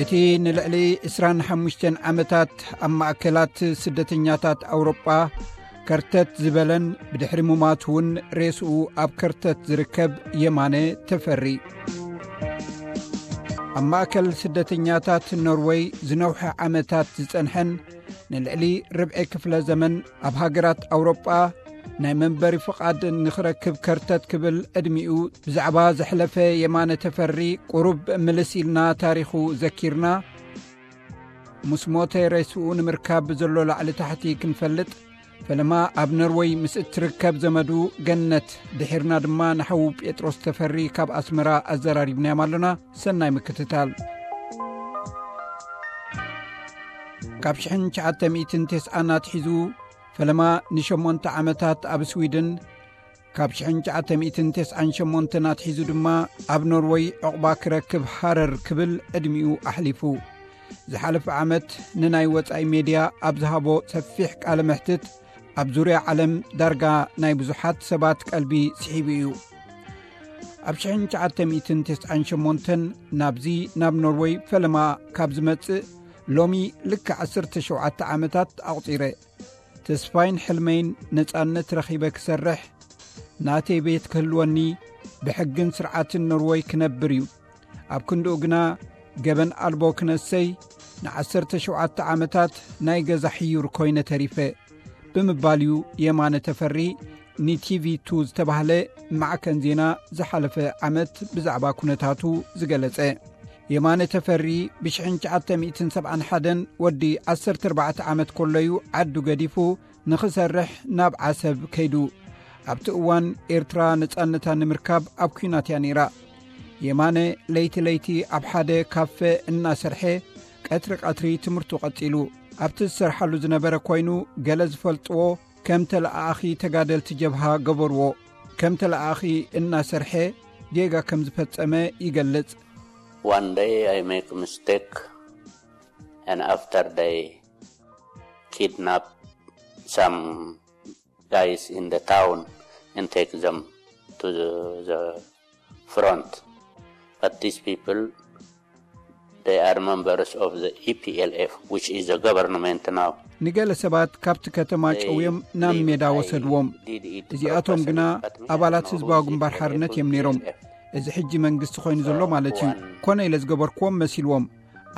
እቲ ንልዕሊ ዕስራን ሓሙሽተን ዓመታት ኣብ ማእከላት ስደተኛታት ኣውሮጳ ከርተት ዝበለን ብድሕሪ ሙማቱ እውን ሬስኡ ኣብ ከርተት ዝርከብ የማነ ተፈሪ፣ ኣብ ማእከል ስደተኛታት ኖርወይ ዝነውሐ ዓመታት ዝጸንሐን ንልዕሊ ርብዒ ክፍለ ዘመን ኣብ ሃገራት ኣውሮጳ ናይ መንበሪ ፍቓድ ንኽረክብ ከርተት ክብል ዕድሚኡ ብዛዕባ ዘሕለፈ የማነ ተፈሪ ቁሩብ ምልስ ኢልና ታሪኹ ዘኪርና፣ ምስ ሞተ ሬስኡ ንምርካብ ብዘሎ ላዕሊ ታሕቲ ክንፈልጥ፣ ፈለማ ኣብ ኖርወይ ምስ እትርከብ ዘመዱ ገነት ድሒርና ድማ ንሓዉ ጴጥሮስ ተፈሪ ካብ ኣስመራ ኣዘራሪብናዮም ኣሎና። ሰናይ ምክትታል። ካብ ሽሕን ትሽዓተ ሚእትን ተስዓን ኣትሒዙ ፈለማ ንሸሞንተ ዓመታት ኣብ ስዊድን፣ ካብ ሽሕን ትሽዓተ ሚእትን ተስዓን ሸሞንተን ኣትሒዙ ድማ ኣብ ኖርወይ ዕቑባ ክረክብ ሃረር ክብል ዕድሚኡ ኣሕሊፉ። ዝሓለፈ ዓመት ንናይ ወጻኢ ሜድያ ኣብ ዝሃቦ ሰፊሕ ቃለ መሕትት ኣብ ዙርያ ዓለም ዳርጋ ናይ ብዙሓት ሰባት ቀልቢ ስሒቡ እዩ። ኣብ ሽሕን ትሽዓተ ሚእትን ተስዓን ሸሞንተን ናብዚ ናብ ኖርወይ ፈለማ ካብ ዝመጽእ ሎሚ ልክዕ ዓሰርተ ሸውዓተ ዓመታት ኣቑጺረ። ተስፋይን ሕልመይን ነጻነት ረኺበ ክሰርሕ፣ ናተይ ቤት ክህልወኒ፣ ብሕግን ስርዓትን ኖርወይ ክነብር እዩ። ኣብ ክንድኡ ግና ገበን ኣልቦ ክነሰይ ንዓሰርተ ሸውዓተ ዓመታት ናይ ገዛ ሕዩር ኮይነ ተሪፈ ብምባል እዩ የማነ ተፈሪ ንቲቪ ቱ ዝተባህለ ማዕከን ዜና ዝሓለፈ ዓመት ብዛዕባ ኩነታቱ ዝገለጸ። የማነ ተፈሪ ብሽሕን ትሽዓተ ሚእትን ሰብዓን ሓደን ወዲ ዓሰርተ ኣርባዕተ ዓመት ከሎ እዩ ዓዱ ገዲፉ ንኽሰርሕ ናብ ዓሰብ ከይዱ። ኣብቲ እዋን ኤርትራ ነጻነታ ንምርካብ ኣብ ኲናት እያ ነይራ። የማነ ለይቲ ለይቲ ኣብ ሓደ ካፈ እናሰርሐ ቀትሪ ቀትሪ ትምህርቱ ቀጺሉ። ኣብቲ ዝሰርሓሉ ዝነበረ ኮይኑ ገለ ዝፈልጥዎ ከም ተለኣኣኺ ተጋደልቲ ጀብሃ ገበርዎ። ከም ተለኣኣኺ እናሰርሐ ጌጋ ከም ዝፈጸመ ይገልጽ። One day I make mistake, and after they kidnap some guys in the town and take them to the, the front. But these people, they are members of the E P L F, which is the government now. ንገለ ሰባት ካብቲ ከተማ ጨውዮም ናብ ሜዳ ወሰድዎም። እዚኣቶም ግና ኣባላት ህዝባዊ ግንባር ሓርነት እዮም ነይሮም። እዚ ሕጂ መንግስቲ ኮይኑ ዘሎ ማለት እዩ። ኮነ ኢለ ዝገበርክዎም መሲልዎም።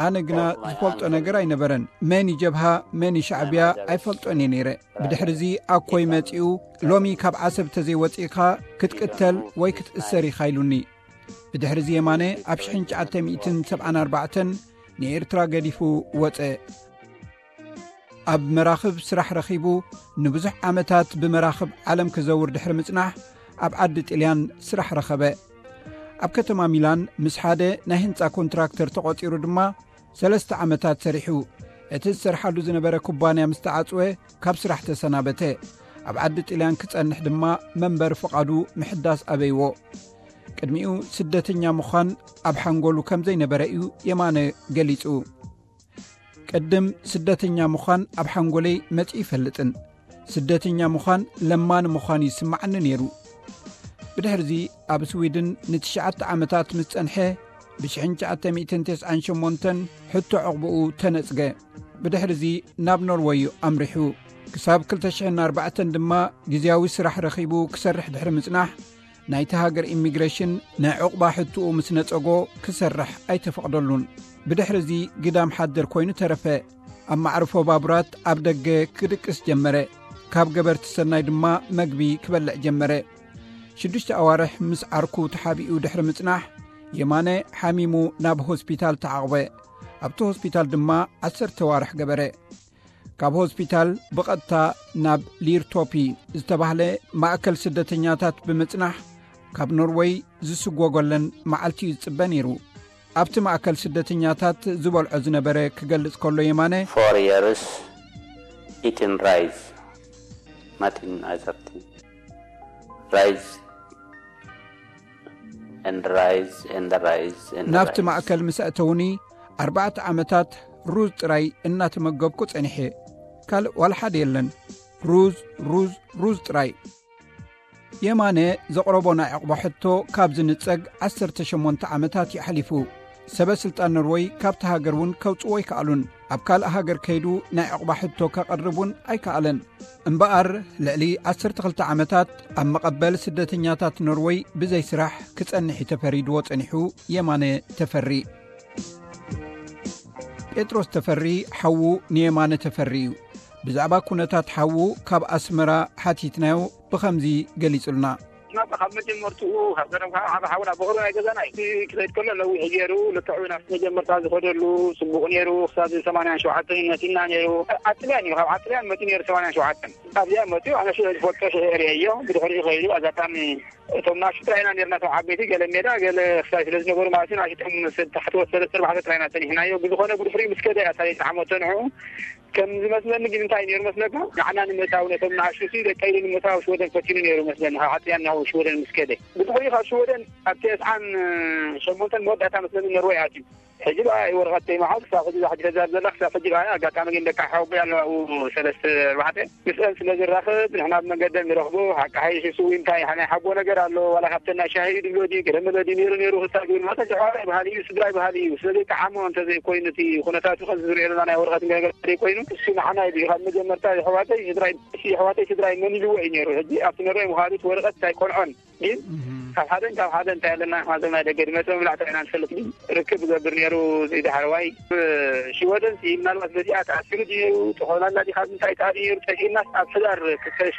ኣነ ግና ዝፈልጦ ነገር ኣይነበረን። መን እዩ ጀብሃ፣ መን እዩ ሻዕብያ ኣይፈልጦን እየ ነይረ። ብድሕርዚ ኣኮይ መጺኡ፣ ሎሚ ካብ ዓሰብ ተዘይወጺእካ ክትቅተል ወይ ክትእሰር ኢኻ ኢሉኒ። ብድሕርዚ የማነ ኣብ ሽሕን ትሽዓተ ሚእትን ሰብዓን ኣርባዕተን ንኤርትራ ገዲፉ ወጸ። ኣብ መራኽብ ስራሕ ረኺቡ ንብዙሕ ዓመታት ብመራኽብ ዓለም ክዘውር ድሕሪ ምጽናሕ ኣብ ዓዲ ጥልያን ስራሕ ረኸበ። ኣብ ከተማ ሚላን ምስ ሓደ ናይ ህንጻ ኮንትራክተር ተቖጺሩ ድማ ሰለስተ ዓመታት ሰሪሑ። እቲ ዝሰርሓሉ ዝነበረ ኩባንያ ምስ ተዓጽወ ካብ ስራሕ ተሰናበተ። ኣብ ዓዲ ጥልያን ክጸንሕ ድማ መንበሪ ፍቓዱ ምሕዳስ ኣበይዎ። ቅድሚኡ ስደተኛ ምዃን ኣብ ሓንጎሉ ከም ዘይነበረ እዩ የማነ ገሊጹ። ቅድም ስደተኛ ምዃን ኣብ ሓንጎለይ መጺኡ ይፈልጥን ስደተኛ ምዃን ለማኒ ምዃን ይስምዓኒ ነይሩ። ብድሕርዚ ኣብ ስዊድን ንትሽዓተ ዓመታት ምስ ጸንሐ ብሽሕን ትሽዓተ ሚእትን ተስዓን ሸሞንተን ሕቶ ዕቑብኡ ተነጽገ። ብድሕርዚ ናብ ኖርወይ እዩ ኣምሪሑ። ክሳብ ክልተ ሽሕን ኣርባዕተን ድማ ግዝያዊ ስራሕ ረኺቡ ክሰርሕ ድሕሪ ምጽናሕ ናይቲ ሃገር ኢሚግሬሽን ናይ ዕቑባ ሕትኡ ምስ ነጸጎ ክሰርሕ ኣይተፈቕደሉን። ብድሕርዚ ግዳም ሓደር ኮይኑ ተረፈ። ኣብ ማዕርፎ ባቡራት ኣብ ደገ ክድቅስ ጀመረ። ካብ ገበርቲ ሰናይ ድማ መግቢ ክበልዕ ጀመረ። ሽዱሽተ ኣዋርሕ ምስ ዓርኩ ተሓቢኡ ድሕሪ ምጽናሕ የማነ ሓሚሙ ናብ ሆስፒታል ተዓቕበ። ኣብቲ ሆስፒታል ድማ ዓሰርተ ኣዋርሕ ገበረ። ካብ ሆስፒታል ብቐጥታ ናብ ሊርቶፒ ዝተባህለ ማእከል ስደተኛታት ብምጽናሕ ካብ ኖርወይ ዝስጎገለን መዓልቲ እዩ ዝጽበ ነይሩ። ኣብቲ ማእከል ስደተኛታት ዝበልዖ ዝነበረ ክገልጽ ከሎ የማነ፣ Four years eating rice, nothing other thing. Rice and rice and rice and ናብቲ rice. ማእከል ምስ ኣእተውኒ ኣርባዕተ ዓመታት ሩዝ ጥራይ እናተመገብኩ ጸኒሐ። ካልእ ዋላ ሓደ የለን። ሩዝ፣ ሩዝ፣ ሩዝ ጥራይ። የማነ ዘቕረቦ ናይ ዕቕቦ ሕቶ ካብ ዝንጸግ ዓሰርተ ሸሞንተ ዓመታት ይኣሕሊፉ። ሰበ ስልጣን ኖርወይ ካብቲ ሃገር እውን ከውጽዎ ኣይከኣሉን። ኣብ ካልእ ሃገር ከይዱ ናይ ዕቑባ ሕቶ ከቕርብ እውን ኣይከኣለን። እምበኣር፣ ልዕሊ ዓሰርተ ክልተ ዓመታት ኣብ መቐበል ስደተኛታት ኖርወይ ብዘይ ስራሕ ክጸንሕ እዩ ተፈሪድዎ ጸኒሑ። የማነ ተፈሪ። ጴጥሮስ ተፈሪ ሓዉ ንየማነ ተፈሪ እዩ። ብዛዕባ ኩነታት ሓዉ ካብ ኣስመራ ሓቲትናዮ፣ ብኸምዚ ገሊጹልና። ናብ ካብ መጀመርትኡ ካብ ቀደም ካብ ዓቢ ሓውና ብኽሩ ናይ ገዛና እዩ። እቲ ክኸይድ ከሎ ነዊሕ ገይሩ፣ ልክዕ እውን ኣብቲ መጀመርታ ዝኸደሉ ጽቡቕ ነይሩ። ክሳብ ሰማንያን ሸውዓተን መጺና ነይሩ። ዓጥልያን እዩ፣ ካብ ዓጥልያን መጺኡ ነይሩ ሰማንያን ሸውዓተን። ኣብዚኣ መጺኡ ኣነ ሽዑ ዝፈልጦ ሽዑ እርየዮ። ብድሕሪኡ ከይዱ ኣጋጣሚ እቶም ናሽቱ ጥራይና ነርና፣ እቶም ዓበይቲ ገለ ሜዳ ገለ ክሳይ ስለ ዝነበሩ ማለት እዩ። ናሽቶም ምስ ታሕቲ ወሰደ ሰለስተ ኣርባዕተ ጥራይና ጸኒሕናዮ። ብዝኾነ ብድሕሪኡ ምስ ከደ እያ ሳሌ ተዓመቶ ንዕኡ። ከም ዝመስለኒ ግን እንታይ ነይሩ መስለካ? ንዓና ንምእታው ነቶም ንኣሽቱ ሲ ደቀ ኢሉ ንምእታው ሽወደን ፈቲኑ ነይሩ መስለኒ፣ ካብ ዓጥያን ናብ ሽወደን ምስ ከደ። ብድሕሪኡ ካብ ሽወደን ኣብ ተስዓን ሸሞንተን መወዳእታ መስለኒ ኖርወይ ኣትዩ። ሕጂ ደኣ ወረቐት ተይመሓዝ ክሳብ ሕጂ እዛ ሕጂ ተዛር ዘላ ክሳብ ሕጂ ደኣ ኣጋጣሚ ግን ደቂ ሓወቦይ ኣለዋ ኣብኡ ሰለስተ ኣርባዕተ ምስአን ስለ ዝራኸብ ንሕና ብመንገደን ንረኽቦ። ሓቂ ሓይሽ እሱ እውን እንታይ ናይ ሓቦ ነገር ኣሎ ዋላ ካብተን ናይ ሻሂ ድብሎ ድዩ ገለ መለ ድዩ ነይሩ ነይሩ ክሳብ ግን መጠን ተሓዋራይ ባህሊ እዩ ስድራይ ባህሊ እዩ። ስለዚ ጠዓሞ እንተዘይኮይኑ እቲ ኩነታቱ ከም ዝሪኦ ዘለና ናይ ወረቐት ነገር ዘይኮይኑ እሱ ንዓና እዩ ካብ መጀመርታ የሕዋተይ ስድራይ እሱ የሕዋተይ ስድራይ መን ኢልዎ እዩ ነይሩ። ሕጂ ኣብቲ ነሮይ ምዃኑ እቲ ወረቐት ኣይቆንዖን። ግን ካብ ሓደን ካብ ሓደ እንታይ ኣለና ንሕና ናይ ደገ ድመጽ መብላዕታ ኢና ንፈልጥ። ግን ርክብ ዝገብር ነይሩ እዚ ዳሕረዋይ ሽወደን ሲ ምናልባት በዚኣ ተኣሲሩ ድዩ ተኾላላ ዲ ካብ ምንታይ ተኣሪ ነይሩ ጠፊእና ኣብ ሕዳር ሽሕን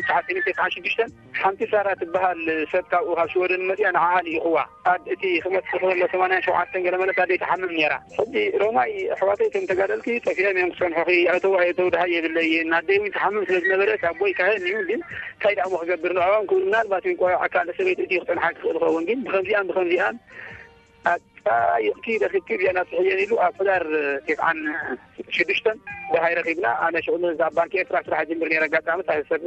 ትሽዓተ ሚእትን ተስዓን ሽዱሽተን ሓንቲ ሳራ ትበሃል ሰብ ካብኡ ካብ ሽወደን መጽያ ንዓኣ ልኢኽዋ። ኣድ እቲ ክመጽእ ከሎ ሰማንያን ሸውዓተን ገለ መለት ኣደይ ትሓምም ነይራ። ሕጂ ሮማይ ኣሕዋተይ ከም ተጋደልቲ ጠፊኦም እዮም ክጸንሑኺ። ኣእተው ኣየእተው ደሃይ የብለይን። ኣደይ እውን ትሓምም ስለ ዝነበረት ኣቦይ ካህን እዩ። ግን እንታይ ደኣ እሞ ክገብር ንዕኦም ክብል ምናልባት እውን ቆልዓ ካልእ ሰበይቲ እቲ ክጸንሓ ክኽእል ይኸውን። ግን ብኸምዚኣን ብኸምዚኣን ኣጣይቕቲ ረኺብኪ እዚኣን ኣብፅሕየን ኢሉ ኣብ ሕዳር ቴስዓን ሽዱሽተን ደሃይ ረኺብና። ኣነ ሽዑ እዛ ባንኪ ኤርትራ ስራሕ ጅምር ነይረ። ኣጋጣሚ እታ ሰብ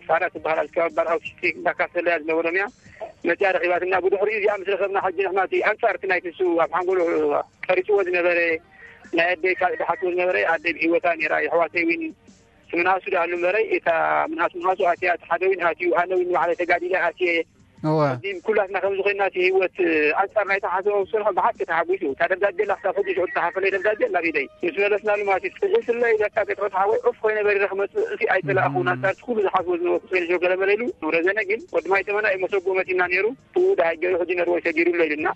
ሳራ ትበሃል ኣብ ከባቢ ባር ኣውቲስቲክ እንዳካፈለያ ዝነበሮም እያ መፅያ ረኺባትና። ብድሕሪኡ እዚኣ ምስ ረኸብና ሕጂ ንሕና እቲ ኣንፃር እቲ ናይቲ ንሱ ኣብ ሓንጎሉ ቀሪፅዎ ዝነበረ ናይ ኣደይ ካልእ ዝሓስቦ ዝነበረ ኣደይ ብህይወታ ነይራ። የሕዋተይ እውን ምንሃሱ ዳኣሉ እምበረይ እታ ምንሃስ ምንሃሱ ኣትያ እቲ ሓደ እውን ኣትዩ ኣነ እውን ንባዕለይ ተጋዲለ ኣትየ እወ። ሕጂ ኩላትና ከም ዝኾንና እቲ ህይወት ኣንፃር ናይቲ ሓሰቦ ዝሰርሖ ብሓቂ ተሓጒሱ እታ ደብዳቤ ላ ክሳብ ሕጂ ሽዑ ዝተሓፈለ ደብዳቤ ላ ኢደይ ምስ መለስናሉ ማለት እዩ። ፍሒስለይ በቃ ጴጥሮስ ሓወይ ዑፍ ኮይነ በሪረ ክመፅእ እቲ ኣይፀላእኹ ናንታ እቲ ኩሉ ዝሓስቦ ዝነበርኩ ኮይነ ሸው ገለመለ ኢሉ ረዘነ። ግን ወዲ ማይ ተመና እዩ መሰጎ መፂና ነይሩ። ብኡ ደሃይ ገይሩ ሕጂ ነርወይ ሰጊሩሎ ኢልና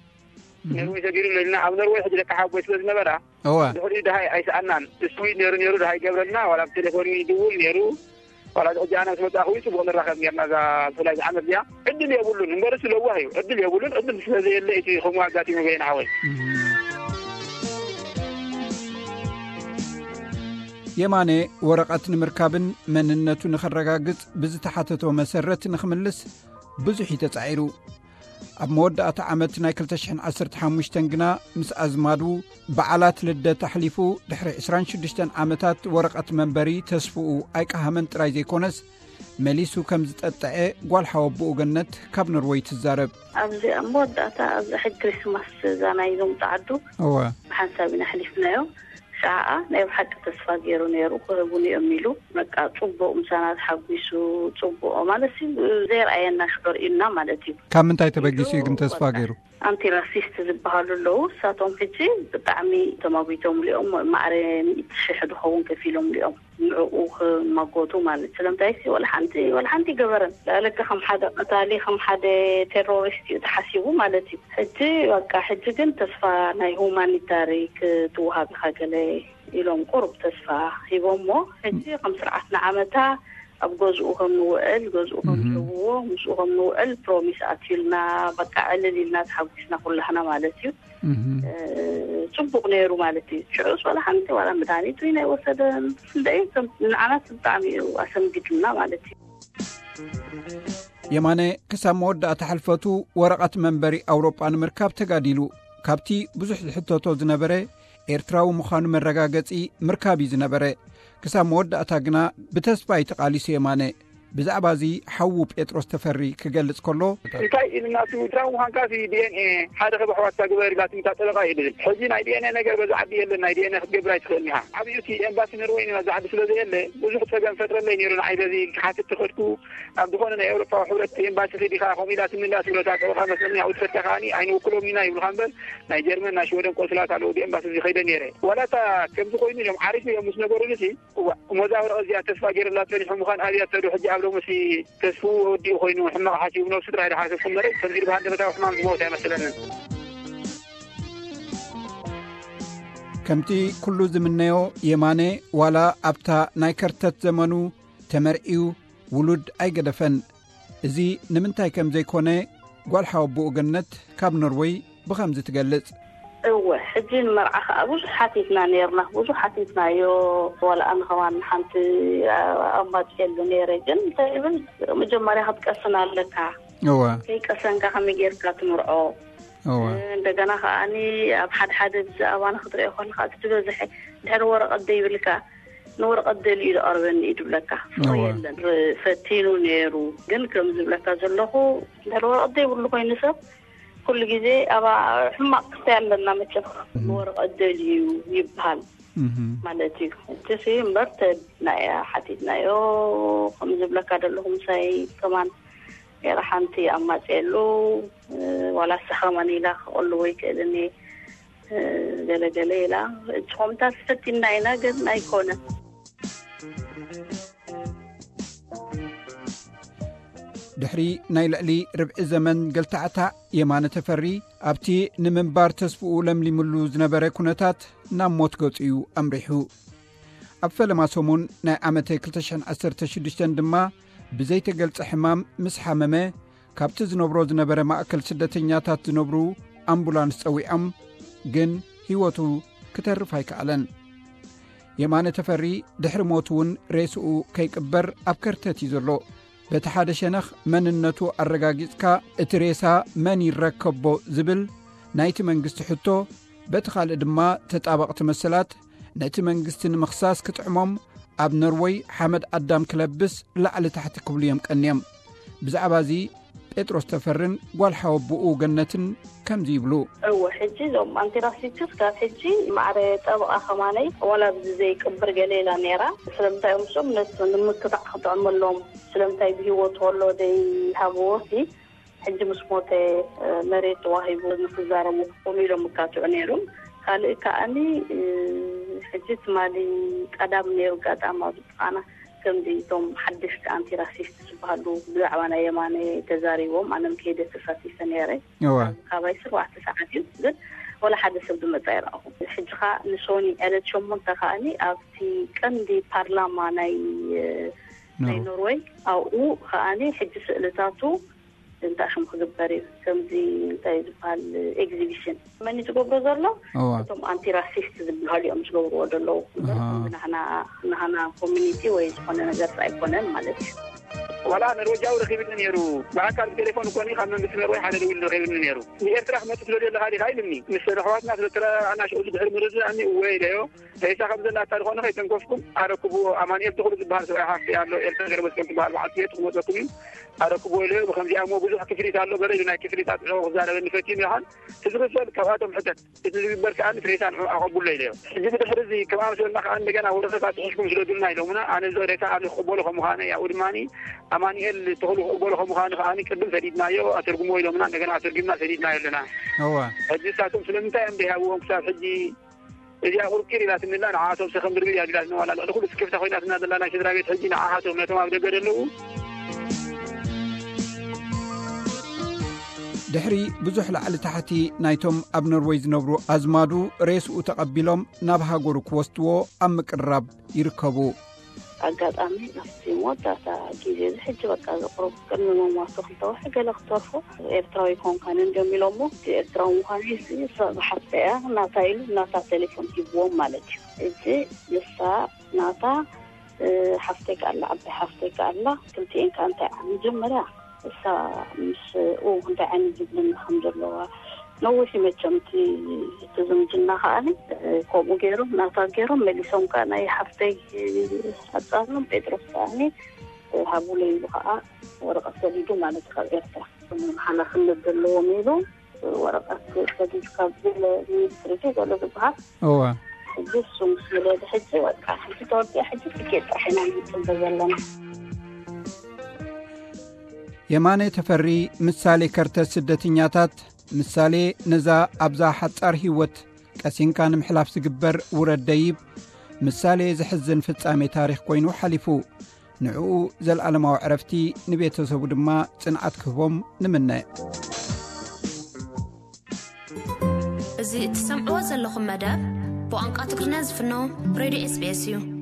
ነርወይ ሰጊሩሎ ኢልና ኣብ ነርወይ ሕጂ ደቂ ሓቦይ ስለ ዝነበራ እወ። ድሕሪኡ ደሃይ ኣይሰኣናን። ስዊድ ነይሩ ነይሩ ደሃይ ገብረልና ዋላ ብቴሌፎን ይድውል ነይሩ። ዋላ እዚ ሕጂ ኣነ ምስ መጻእኹ እዩ ጽቡቕ ንራኸብ ጌርና እዛ ብፍላይ እዛ ዓመት እዚኣ ዕድል የብሉን እምበርስ ለዋህ እዩ። ዕድል የብሉን። ዕድል ስለ ዘየለ እቲ ከምኡ ኣጋጢሙ በይን ሓወይ። የማነ ወረቐት ንምርካብን መንነቱ ንኸረጋግጽ ብዝተሓተቶ መሰረት ንኽምልስ ብዙሕ እዩ ተጻዒሩ። ኣብ መወዳእታ ዓመት ናይ ክልተ ሽሕን ዓሰርተ ሓሙሽተን ግና ምስ ኣዝማዱ በዓላት ልደት ኣሕሊፉ ድሕሪ ዕስራን ሽዱሽተን ዓመታት ወረቐት መንበሪ ተስፍኡ ኣይቀሃመን ጥራይ ዘይኮነስ መሊሱ ከም ዝጠጥዐ ጓል ሓወቦኡ ገነት ካብ ኖርወይ ትዛረብ። ኣብዚ ኣብ መወዳእታ ኣብዚ ሕጂ ክሪስማስ እዛ ናይዞም ጻዓዱ እወ። ብሓንሳብ ኢና ኣሕሊፍናዮ። ሸዓ ናይ ብሓቂ ተስፋ ገይሩ ነይሩ ክህቡን እዮም ኢሉ በቃ ጽቡቕ ምሳና ተሓጒሱ ጽቡቕ ማለት ሲ ዘይረኣየና ሽዑ ርእዩና ማለት እዩ። ካብ ምንታይ ተበጊሱ እዩ ግን ተስፋ ገይሩ? ኣንቲ ራሲስት ዝበሃሉ ኣለዉ። እሳቶም ሕጂ ብጣዕሚ ተማጒቶም ሊኦም ማዕረ ሚእቲ ሽሕ ዝኸውን ከፊሎም ሊኦም ንዕኡ ክማጎቱ ማለት ስለምንታይ ሲ ወላ ሓንቲ ወላ ሓንቲ ገበረን ላለካ ከም ሓደ ቀታሊ ከም ሓደ ቴሮሪስት እዩ ተሓሲቡ ማለት እዩ። ሕጂ በቃ ሕጂ ግን ተስፋ ናይ ሁማኒታሪ ክትወሃብ ኢኻ ገለ ኢሎም ቁሩብ ተስፋ ሂቦሞ። ሕጂ ከም ስርዓት ንዓመታ ኣብ ገዝኡ ከም ንውዕል ገዝኡ ከም ዝህብዎ ምስኡ ከም ንውዕል ፕሮሚስ ኣትዩልና። በቃ ዕልል ኢልና ተሓጒስና ኩላህና ማለት እዩ። ጽቡቕ ነይሩ ማለት እዩ። ሽዑስ ዋላ ሓንቲ ዋላ መድሃኒት ወይ ናይ ወሰደን እንደይ ንዓናስ ብጣዕሚ እዩ ኣሰንቢዱና ማለት እዩ። የማነ ክሳብ መወዳእታ ሕልፈቱ ወረቐት መንበሪ ኣውሮጳ ንምርካብ ተጋዲሉ። ካብቲ ብዙሕ ዝሕተቶ ዝነበረ ኤርትራዊ ምዃኑ መረጋገጺ ምርካብ እዩ ዝነበረ። ክሳብ መወዳእታ ግና ብተስፋ እዩ ተቓሊሱ የማነ። ብዛዕባ እዚ ሓዉ ጴጥሮስ ተፈሪ ክገልጽ ከሎ፣ እንታይ ኢልናቱ፣ ድራው ምዃንካሲ ዲ ኤን ኤ ሓደ ካብ ኣሕዋትካ ግበር ኢላትኒ እታ ጠበቓ እዩ ዝብል። ሕጂ ናይ ዲ ኤን ኤ ነገር በዚ ዓዲ የለን፣ ናይ ዲ ኤን ኤ ክትገብር ኣይትኽእልን ኢኻ። ዓብዩ እቲ ኤምባሲ ኖርወይ ኣብዚ ዓዲ ስለ ዘየለ ብዙሕ ጸገም ፈጥረለይ ነይሩ። ንዓይ በዚ ክሓትት ተኸድኩ። ኣብ ዝኾነ ናይ ኤውሮጳዊ ሕብረት ኤምባሲ ኺድ ኢኻ ከምኡ ኢላትኒ እላ ትብሎ እታ ጠበቓ መስለኒ። ኣብኡ ትኸድካ ከኣኒ ኣይንውክሎም ኢና ይብሉኻ እምበር፣ ናይ ጀርመን ናይ ሽወደን ቆንስላት ኣለዉ፣ ብኤምባሲ እዚ ኸይደ ነይረ። ዋላ እታ ከምዚ ኮይኑ እዮም ዓሪፉ እዮም ምስ ነገሩኒ፣ እዋ፣ እሞ እዛ ወረቐት እዚኣ ተስፋ ገይሩላ ጸኒሑ ምዃን ኣብያቶ ዶ ሕጂ ኣብ ሎምሲ ተስፍኡ ወዲኡ ኮይኑ ሕማቕ ሓሲቡ ነብሱ ጥራይ ዶ ሓሰብኩም እምበር፣ ከምዚ ኢሉ ብሃንደበታዊ ሕማም ዝሞተ ኣይመስለንን። ከምቲ ኩሉ ዝምነዮ፣ የማነ ዋላ ኣብታ ናይ ከርተት ዘመኑ ተመርዕዩ ውሉድ ኣይገደፈን። እዚ ንምንታይ ከም ዘይኮነ ጓል ሓወቦኡ ገነት ካብ ኖርወይ ብኸምዚ ትገልጽ። እወ፣ ሕጂ ንመርዓ ከኣ ብዙሕ ሓቲትና ነይርና፣ ብዙሕ ሓቲትናዮ። ዋላ ኣነ ከማን ሓንቲ ኣማጽየሉ ነይረ፣ ግን እንታይ ይብል፣ መጀመርያ ክትቀስን ኣለካ። እወ። ከይቀሰንካ ከመይ ጌርካ ትምርዖ? እወ። እንደገና ከኣኒ ኣብ ሓደ ሓደ ብዛዕባና ክትሪኦ ከለካ እቲ ዝበዝሐ ድሕሪ ወረቐት ዘይብልካ ንወረቐት ደልዩ ዝቐርበኒ እዩ ዝብለካ። ፍቕሪ እወ። የለን። ር-፣ ፈቲኑ ነይሩ። ግን ከም ዝብለካ ዘለኹ፣ እንድሕር ወረቐት ዘይብሉ ኮይኑ ሰብ፣ ኩሉ ግዜ ኣብ ሕማቕ ክስታይ ኣለና መቸም። እህ። ንወረቐት ደልዩ ይበሃል እህ። ማለት እዩ። እቲ ሲ እምበር ተድና እያ ሓቲትናዮ። ከም ዝብለካ ዘለኹ ምሳይ ከማን ገይራ ሓንቲ ኣማፅየሉ፣ እ፣ ዋላ ንሳ ከማን ኢላ ክቐልቦ ይክእልን እየ፣ እ፣ ገለ ገለ ኢላ። ንስኹምታት ፈቲና ኢና ግን ኣይኮነን። ድሕሪ ናይ ልዕሊ ርብዒ ዘመን ገልታዕታዕ፣ የማነ ተፈሪ ኣብቲ ንምንባር ተስፍኡ ለምሊምሉ ዝነበረ ኩነታት ናብ ሞት ገጹ እዩ ኣምሪሑ። ኣብ ፈለማ ሰሙን ናይ ዓመተ ክልተ ሽሕን ዓሰርተ ሽዱሽተን ድማ ብዘይተገልጸ ሕማም ምስ ሓመመ፣ ካብቲ ዝነብሮ ዝነበረ ማእከል ስደተኛታት ዝነብሩ ኣምቡላንስ ጸዊዖም፣ ግን ህይወቱ ክተርፍ ኣይከኣለን። የማነ ተፈሪ ድሕሪ ሞቱ እውን ሬስኡ ከይቅበር ኣብ ከርተት እዩ ዘሎ። በቲ ሓደ ሸነኽ መንነቱ ኣረጋጊጽካ እቲ ሬሳ መን ይረከቦ ዝብል ናይቲ መንግስቲ ሕቶ፣ በቲ ካልእ ድማ ተጣበቕቲ መሰላት ነቲ መንግስቲ ንምኽሳስ ክጥዕሞም ኣብ ኖርወይ ሓመድ ኣዳም ክለብስ ላዕሊ ታሕቲ ክብሉ እዮም ቀንዮም። ብዛዕባ እዚ ጴጥሮስ ተፈርን ጓል ሓወቦኡ ገነትን ከምዚ ይብሉ። እወ፣ ሕጂ እዞም ኣንቲራሲስት ካብ ሕጂ ማዕረ ጠበቓ ከማነይ ዋላ ኣብዚ ዘይቅብር ገለ ኢላ ነይራ። ስለምንታይ እዮም እሶም ነቲ ንምክታዕ ክጥዕመሎም ስለምንታይ ብህይወት ከሎ ዘይሃብዎ ሲ ሕጂ ምስ ሞተ፣ እ፣ መሬት ተዋሂቡ ንክዛረቡ ከምኡ ኢሎም ይካትዑ ነይሮም። ካልእ ከኣኒ፣ እ፣ ሕጂ ትማሊ ቀዳም ነይሩ ኣጋጣሚ ኣብ ጥቓና ከምዚ እቶም ሓደሽቲ ኣንቲራሲስት ዝበሃሉ ብዛዕባ ናይ የማነ ተዛሪቦም፣ ኣነም ከይደ ተሳቲፈ ነይረ። እወ። ካባይ ስርባዕተ ሰዓት እዩ፣ ግን ወላ ሓደ ሰብ ዝመጻ ኣይረኣኹ። ሕጂ ኸኣ ንሶኒ ዕለት ሸሞንተ ከኣኒ ኣብቲ ቀንዲ ፓርላማ ናይ፣ እ፣ ናይ ኖርወይ። ኖርወይ ኣብኡ ከኣኒ ሕጂ ስእልታቱ እንታይ ሽሙ ክግበር እዩ? ከምዚ እንታይ ዝበሃል ኤግዚቢሽን መን እዩ ዝገብሮ ዘሎ? እዋ። እቶም ኣንቲራሲስት ዝበሃሉ እዮም ዝገብርዎ ዘለዉ። እምበር ኣሃ። ከምዚ ናህና፣ ናህና ኮሚኒቲ ወይ ዝኾነ ነገር ኣይኮነን ማለት እዩ። ዋላ ኖርወጃዊ ረኺብኒ ነይሩ። ብኣካል ብቴሌፎን እኮ እኒ ካብ መንግስቲ ኖርወይ ሓደ ደዊሉ ረኺብኒ ነይሩ። ንኤርትራ ክመጽእ ስለ ዘለኻ ዲኻ ኢሉኒ። ምስ ኣሕዋትና ስለ ተረኣኣና ሽዑ ድሕሪ ምርድዳእኒ እወ ኢለዮ። ሬሳ ከም ዘላታ ዝኾነ ከይተንከፍኩም ኣረክብዎ። ኣማኑኤል ተኽሉ ዝበሃል ሰብኣይ ሓፍቲ ኣሎ፣ ኤልሳ ገረመስቀል ትበሃል በዓልቲ ቤት ክመፀኩም እዩ፣ ኣረክብዎ ኢለዮ። ብከምዚኣ እሞ ብዙሕ ክፍሊት ኣሎ፣ ገለ ኢሉ ናይ ክፍሊት ኣጥዕዎ ክዛረበኒ ፈትዩ ይበሃል። እቲ ዝኽፈል ካብኣቶም ሕተት፣ እቲ ዝግበር ከኣ እቲ ሬሳ ንዑ ኣቐብሎ ኢለዮ። ሕጂ ብድሕሪ እዚ ከም ኣምሰልና ከኣ እንደገና ወረቐት ኣጥሒስኩም ስደዱልና ኢሎምና። ኣነ እዚ ሬሳ ኣነ ክቕበሎ ከም ምዃነ፣ ያው ድማ ኣማኑኤል ተኽሉ ክቕበሎ ከም ምዃኑ ከኣ ቅድም ሰዲድናዮ፣ ኣተርጉሞ ኢሎምና፣ እንደገና ኣተርጉምና ሰዲድናዮ ኣለና። እወ። ሕጂ ንሳቶም ስለምንታይ እዮም ዘይሃብዎም ክሳብ ሕጂ እዚኣ ቁርቂር ኢላትኒ ኣላ፣ ንዓኣቶም ሰኸም ብርብር እያ ቢላትኒ። ዋላ ልዕሊ ኩሉ ስክፍታ ኮይናትና ዘላ ናይ ስድራ ቤት ሕጂ ንዓኣቶም ነቶም ኣብ ደገ ዘለዉ። ድሕሪ ብዙሕ ላዕሊ ታሕቲ ናይቶም ኣብ ኖርወይ ዝነብሩ ኣዝማዱ ሬስኡ ተቐቢሎም ናብ ሃገሩ ክወስድዎ ኣብ ምቅርራብ ይርከቡ። ኣጋጣሚ ኣብቲ መወዳእታ ግዜ እዚ ሕጂ በቃ ዘቕርቡ ቅድሚ ምሟቱ ክልተ ወርሒ ገለ ክተርፎ ኤርትራዊ ኣይኮንካን እንዲዮም ኢሎሞ። እቲ ኤርትራዊ ምዃኑ እዚ እሳ ብሓፍተ እያ ናታ ኢሉ ናታ ቴሌፎን ሂብዎም ማለት እዩ። እዚ ንሳ ናታ፣ እ፣ ሓፍተይ ከኣ ኣላ፣ ዓባይ ሓፍተይ ከኣ ኣላ። ክልቲኤን ከኣ እንታይ መጀመርያ እሳ ምስኡ እንታይ ዓይነት ዝብልና ከም ዘለዋ ነዊሕ እዩ መቸም እቲ፣ እቲ ዝምድና ከኣኒ፣ እ፣ ከምኡ ገይሮም ናታ ገይሮም መሊሶም ከኣ ናይ ሓፍተይ ኣጻብሎም ጴጥሮስ ከኣኒ ሃቡለ ኢሉ ከዓ ወረቐት ሰዲዱ ማለት እዩ ካብ ኤርትራ። ሓላፍነት ዘለዎም ኢሉ ወረቐት ሰዲዱ ካብ ሚኒስትሪ ገለ ዝበሃል። እወ። ሕጂ እሱ ምስ ወለደ ሕጂ በቃ ሕጂ ተወዲኣ ሕጂ ትኬት ጥራሕ ኢና ንፅበ ዘለና። የማነ ተፈሪ ምሳሌ ከርተ ስደተኛታት፣ ምሳሌ ነዛ ኣብዛ ሓጻር ህይወት ቀሲንካ ንምሕላፍ ዝግበር ውረድ ደይብ፣ ምሳሌ ዘሕዝን ፍጻሜ ታሪኽ ኮይኑ ሓሊፉ። ንዕኡ ዘልኣለማዊ ዕረፍቲ፣ ንቤተሰቡ ድማ ጽንዓት ክህቦም ንምነ። እዚ እትሰምዕዎ ዘለኹም መደብ ብቋንቋ ትግርኛ ዝፍኖ ሬድዮ ኤስቢኤስ እዩ።